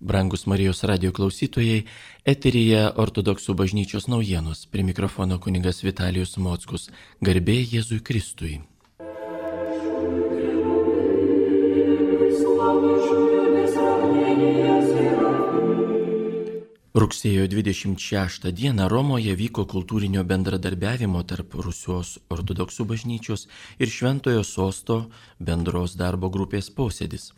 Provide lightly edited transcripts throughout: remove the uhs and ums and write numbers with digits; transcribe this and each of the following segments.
Brangus Marijos radio klausytojai, eteryje Ortodoksų bažnyčios naujienos. Prie mikrofono kunigas Vitalijus Mockus. Garbė Jėzui Kristui. Rugsėjo 26 dieną Romoje vyko kultūrinio bendradarbiavimo tarp Rusijos ortodoksų bažnyčios ir Šventojo Sosto bendros darbo grupės posėdis.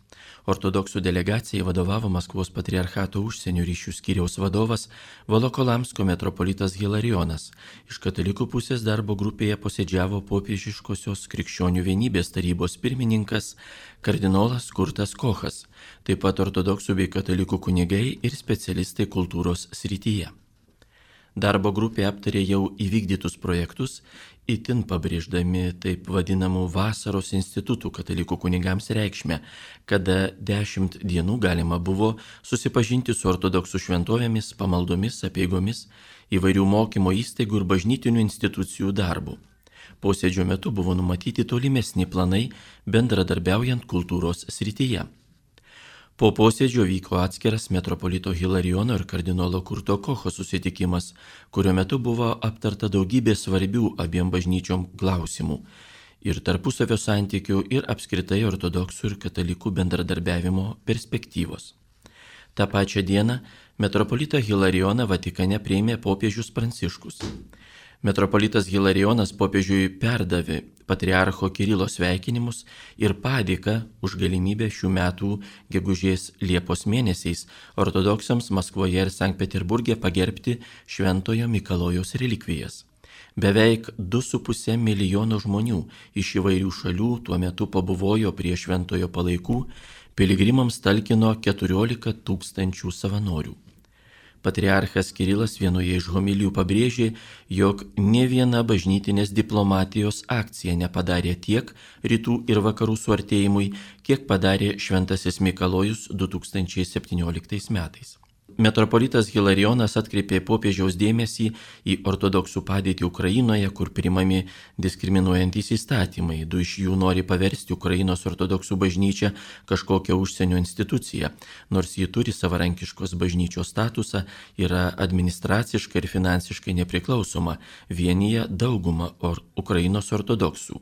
Ortodoksų delegacijai vadovavo Maskvos patriarchato užsienio ryšių skyriaus vadovas Volokolamsko metropolitas Hilarijonas. Iš katalikų pusės darbo grupėje posėdžiavo popiežiškosios krikščionių vienybės tarybos pirmininkas kardinolas Kurtas Kochas, taip pat ortodoksų bei katalikų kunigai ir specialistai kultūros srityje. Darbo grupė aptarė jau įvykdytus projektus, itin pabrėždami taip vadinamų vasaros institutų katalikų kunigams reikšmę, kada 10 dienų galima buvo susipažinti su ortodoksų šventovėmis, pamaldomis, apeigomis, įvairių mokymo įstaigų ir bažnytinių institucijų darbu. Posėdžio metu buvo numatyti tolimesni planai bendradarbiaujant kultūros srityje. Po posėdžio vyko atskiras metropolito Hilarijono ir kardinolo Kurto Kocho susitikimas, kurio metu buvo aptarta daugybė svarbių abiem bažnyčiom klausimų ir tarpusavio santykių ir apskritai ortodoksų ir katalikų bendradarbiavimo perspektyvos. Ta pačia diena metropolitą Hilarijoną Vatikane priėmė popiežius Pranciškus. Metropolitas Hilarijonas popiežiui perdavė patriarcho Kirilo sveikinimus ir padėką už galimybę šių metų gegužės Liepos mėnesiais ortodoksams Maskvoje ir Sankt Peterburge pagerbti Šventojo Mikalojaus relikvijas. Beveik 2,5 milijono žmonių iš įvairių šalių tuo metu pabuvojo prie šventojo palaikų, piligrimams talkino 14 000 savanorių. Patriarchas Kirilas vienoje iš homilijų pabrėžė, jog ne viena bažnytinės diplomatijos akcija nepadarė tiek rytų ir vakarų suartėjimui, kiek padarė Šventasis Mikalojus 2017 metais. Metropolitas Hilarijonas atkreipė popiežiaus dėmesį į ortodoksų padėtį Ukrainoje, kur priimami diskriminuojantys įstatymai. 2 iš jų nori paversti Ukrainos ortodoksų bažnyčią kažkokią užsienio instituciją, nors ji turi savarankiškos bažnyčios statusą, yra administraciškai ir finansiškai nepriklausoma, vienyje daugumą Ukrainos ortodoksų.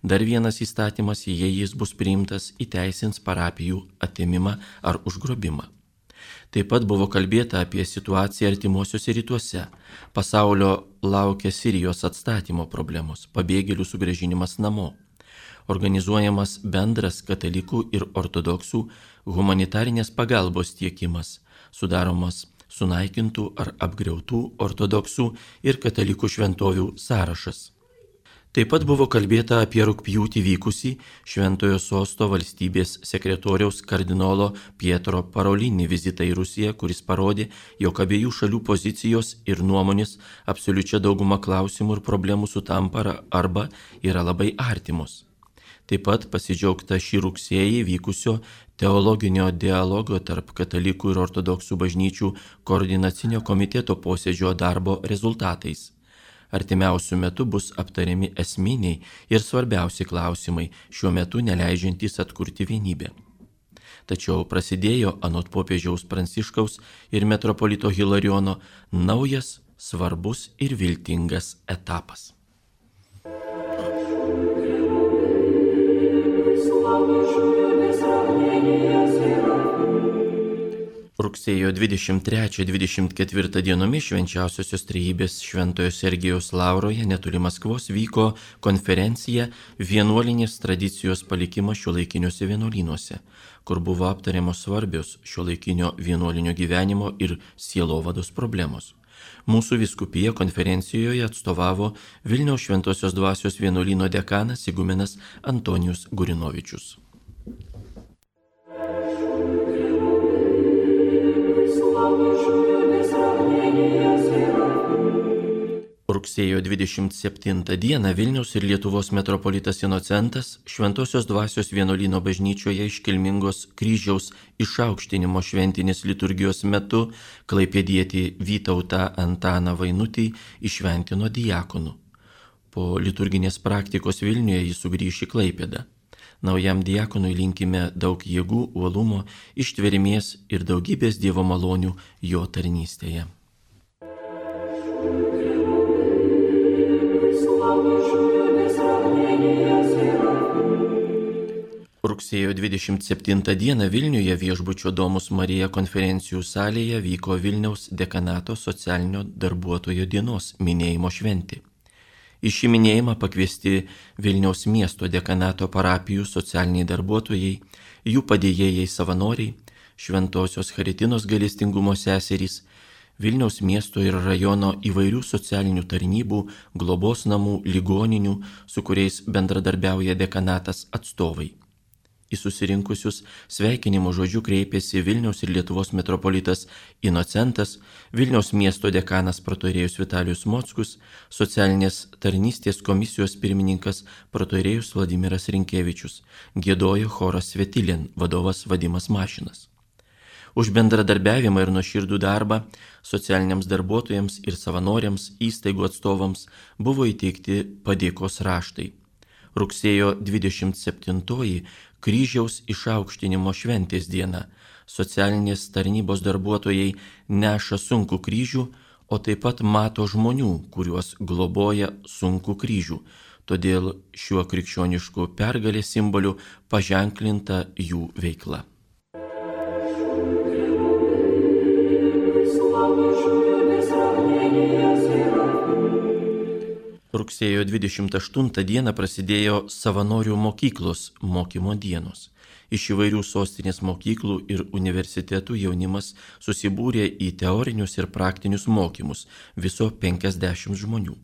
Dar vienas įstatymas, jei jis bus priimtas, įteisins parapijų atėmimą ar užgrobimą. Taip pat buvo kalbėta apie situaciją artimuosiuose rytuose. Pasaulio laukia Sirijos atstatymo problemos, pabėgėlių sugrąžinimas namo. Organizuojamas bendras katalikų ir ortodoksų humanitarinės pagalbos tiekimas, sudaromas sunaikintų ar apgriautų ortodoksų ir katalikų šventovių sąrašas. Taip pat buvo kalbėta apie rugpjūtį vykusį Šventojo Sosto valstybės sekretoriaus kardinolo Pietro Parolini vizitą į Rusiją, kuris parodė, jog abiejų šalių pozicijos ir nuomonės absoliučia dauguma klausimų ir problemų sutampa arba yra labai artimos. Taip pat pasidžiaugta šį rugsėjį vykusio teologinio dialogo tarp katalikų ir ortodoksų bažnyčių koordinacinio komiteto posėdžio darbo rezultatais. Artimiausių metų bus aptariami esminiai ir svarbiausi klausimai, šiuo metu neleidžiantys atkurti vienybę. Tačiau prasidėjo anot popiežiaus Pranciškaus ir metropolito Hilarijono naujas, svarbus ir viltingas etapas. Rugsėjo 23-24 dienomis Švenčiausiosios Trejybės Šventojo Sergijaus Lauroje netoli Maskvos vyko konferencija Vienuolinės tradicijos palikimas šiuolaikiniuose vienuolynuose, kur buvo aptariamos svarbios šiuolaikinio vienuolinio gyvenimo ir sielovados problemos. Mūsų vyskupija konferencijoje atstovavo Vilniaus Šventosios dvasios vienuolyno dekanas igumenas Antonijus Gurinovičius. Rugsėjo 27 dieną Vilniaus ir Lietuvos metropolitas Inocentas Šventosios dvasios vienuolyno bažnyčioje iškilmingos kryžiaus išaukštinimo šventinės liturgijos metu klaipėdietį Vytautą Antaną Vainutį įšventino diakonu. Po liturginės praktikos Vilniuje jis sugrįš į Klaipėdą. Naujam diakonui linkime daug jėgų, uolumo, ištvermės ir daugybės Dievo malonių jo tarnystėje. Rugsėjo 27 dieną Vilniuje viešbučio Domus Marija konferencijų salėje vyko Vilniaus dekanato socialinio darbuotojo dienos minėjimo šventė. Į šį minėjimą pakviesti Vilniaus miesto dekanato parapijų socialiniai darbuotojai, jų padėjėjai savanoriai, Šventosios Charitinos gailestingumo seserys, Vilniaus miesto ir rajono įvairių socialinių tarnybų, globos namų, ligoninių, su kuriais bendradarbiauja dekanatas atstovai. Į susirinkusius sveikinimo žodžiu kreipėsi Vilniaus ir Lietuvos metropolitas Inocentas, Vilniaus miesto dekanas protoirėjus Vitalijus Mockus, socialinės tarnystės komisijos pirmininkas protoirėjus Vladimiras Rinkevičius, giedojo choras Svetilien, vadovas Vadimas Mašinas. Už bendradarbiavimą ir nuoširdų darbą socialiniams darbuotojams ir savanoriams, įstaigų atstovams buvo įteikti padėkos raštai. Rugsėjo 27 Kryžiaus išaukštinimo šventės diena. Socialinės tarnybos darbuotojai neša sunkų kryžių, o taip pat mato žmonių, kuriuos globoja sunkų kryžių. Todėl šiuo krikščionišku pergalės simboliu paženklinta jų veikla. Rugsėjo 28 dieną prasidėjo savanorių mokyklos mokymo dienos. Iš įvairių sostinės mokyklų ir universitetų jaunimas susibūrė į teorinius ir praktinius mokymus, viso 50 žmonių.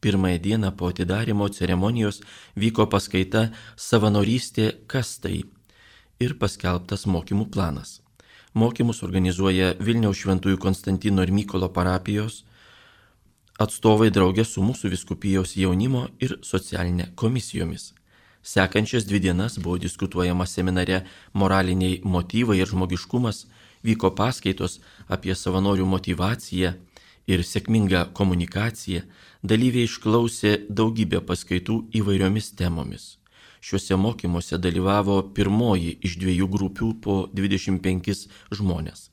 Pirmąją dieną po atidarymo ceremonijos vyko paskaita Savanorystė kas tai ir paskelbtas mokymų planas. Mokymus organizuoja Vilniaus Šventųjų Konstantino ir Mykolo parapijos atstovai draugė su mūsų vyskupijos jaunimo ir socialinė komisijomis. Sekančias 2 dienas buvo diskutuojama seminare Moraliniai motyvai ir žmogiškumas, vyko paskaitos apie savanorių motyvaciją ir sėkmingą komunikaciją, dalyviai išklausė daugybę paskaitų įvairiomis temomis. Šiuose mokymuose dalyvavo pirmoji iš 2 grupių po 25 žmonės.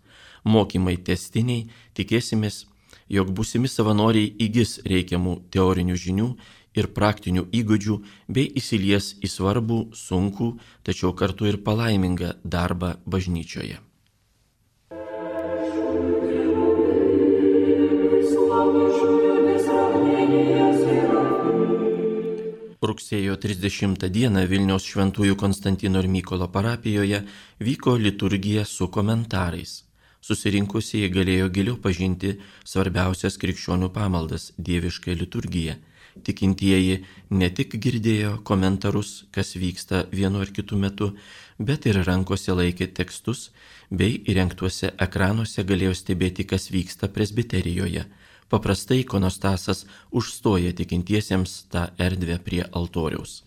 Mokymai tęstiniai, tikėsimės, jog būsimi savanoriai įgis reikiamų teorinių žinių ir praktinių įgūdžių bei įsilies į svarbų, sunkų, tačiau kartu ir palaimingą darbą bažnyčioje. Rugsėjo 30 dieną Vilniaus Šventųjų Konstantino ir Mykolo parapijoje vyko liturgija su komentarais. Susirinkusieji galėjo giliau pažinti svarbiausias krikščionių pamaldas – dievišką liturgiją. Tikintieji ne tik girdėjo komentarus, kas vyksta vienu ar kitu metu, bet ir rankose laikė tekstus, bei įrengtuose ekranuose galėjo stebėti, kas vyksta presbiterijoje. Paprastai ikonostasas užstoja tikintiesiems tą erdvę prie altoriaus.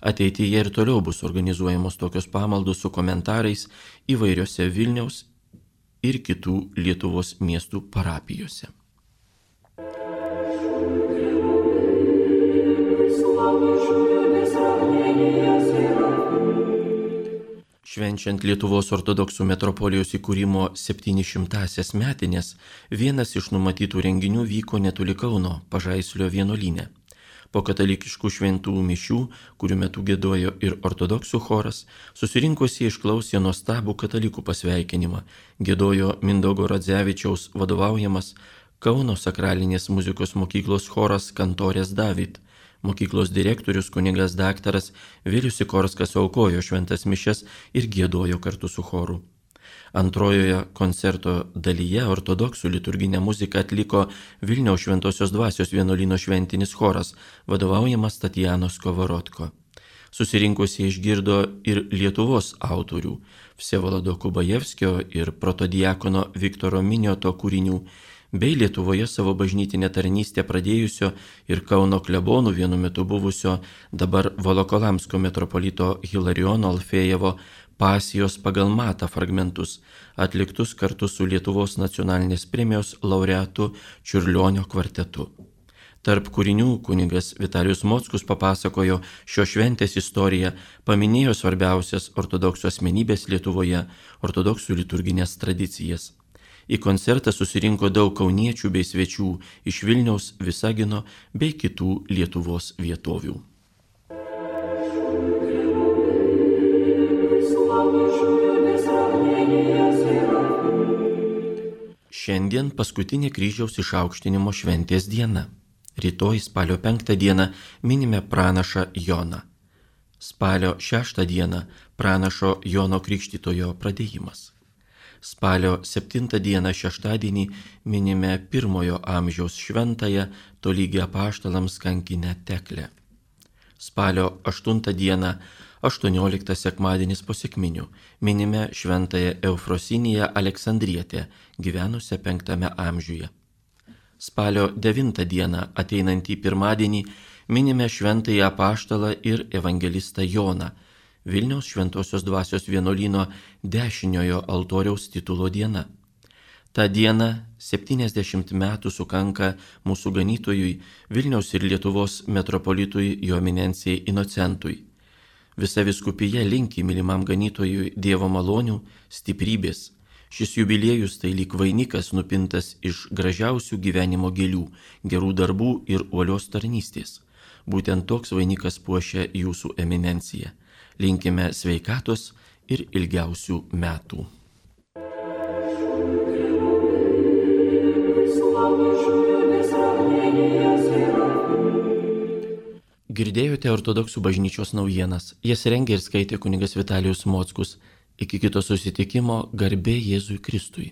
Ateityje ir toliau bus organizuojamos tokios pamaldos su komentarais įvairiose Vilniaus ir kitų Lietuvos miestų parapijose. Švenčiant Lietuvos ortodoksų metropolijos įkūrimo 700-asias metinės, vienas iš numatytų renginių vyko netoli Kauno Pažaislio vienuolyne. Po katalikiškų šventų mišių, kurių metu giedojo ir ortodoksų choras, susirinkusieji išklausė nuostabų katalikų pasveikinimą, giedojo Mindaugo Radzevičiaus vadovaujamas Kauno sakralinės muzikos mokyklos choras Kantorės David. Mokyklos direktorius kunigas daktaras Vilius Sikorskas aukojo šventas mišias ir giedojo kartu su choru. Antrojoje koncerto dalyje ortodoksų liturginę muziką atliko Vilniaus Šventosios Dvasios vienuolyno šventinis choras, vadovaujamas Tatjanos Kovarodko. Susirinkusieji išgirdo ir Lietuvos autorių Vsevolado Kubajevskio ir protodiakono Viktoro Minioto kūrinių, bei Lietuvoje savo bažnytinę tarnystę pradėjusio ir Kauno klebonų vienu metu buvusio dabar Volokolamsko metropolito Hilariono Alfėjevo pasijos pagal matą fragmentus, atliktus kartu su Lietuvos nacionalinės premijos laureatu Čiurlionio kvartetu. Tarp kūrinių kunigas Vitalijus Mockus papasakojo šios šventės istoriją, paminėjo svarbiausias ortodoksų asmenybės Lietuvoje, ortodoksų liturginės tradicijas. Į koncertą susirinko daug kauniečių bei svečių iš Vilniaus, Visagino bei kitų Lietuvos vietovių. Šiandien paskutinė kryžiaus išaukštinimo šventės diena. Rytoj spalio 5 dieną minime pranašą Joną. Spalio 6 dieną pranašo Jono Krikštytojo pradėjimas. Spalio 7 dieną šeštadienį minime 1 amžiaus šventąją tolygią apaštalams kankinę Teklę. Spalio 8 dieną 18 sekmadienis po sekminių minime šventąją Eufrosiniją Aleksandrietę, gyvenusią 5 amžiuje. Spalio 9 dieną ateinantį pirmadienį minime šventąjį apaštalą ir evangelistą Joną, Vilniaus Šventosios Dvasios vienuolyno dešiniojo altoriaus titulo diena. Ta diena 70 metų sukanka mūsų ganytojui, Vilniaus ir Lietuvos metropolitui jo eminencijai Inocentui. Visa vyskupija linki mylimam ganytojui Dievo malonių, stiprybės. Šis jubiliejus tai lyg vainikas nupintas iš gražiausių gyvenimo gėlių, gerų darbų ir uolios tarnystės. Būtent toks vainikas puošia jūsų eminenciją. Linkime sveikatos ir ilgiausių metų. Girdėjote ortodoksų bažnyčios naujienas. Jas rengė ir skaitė kunigas Vitalijus Mockus. Iki kito susitikimo, garbė Jėzui Kristui.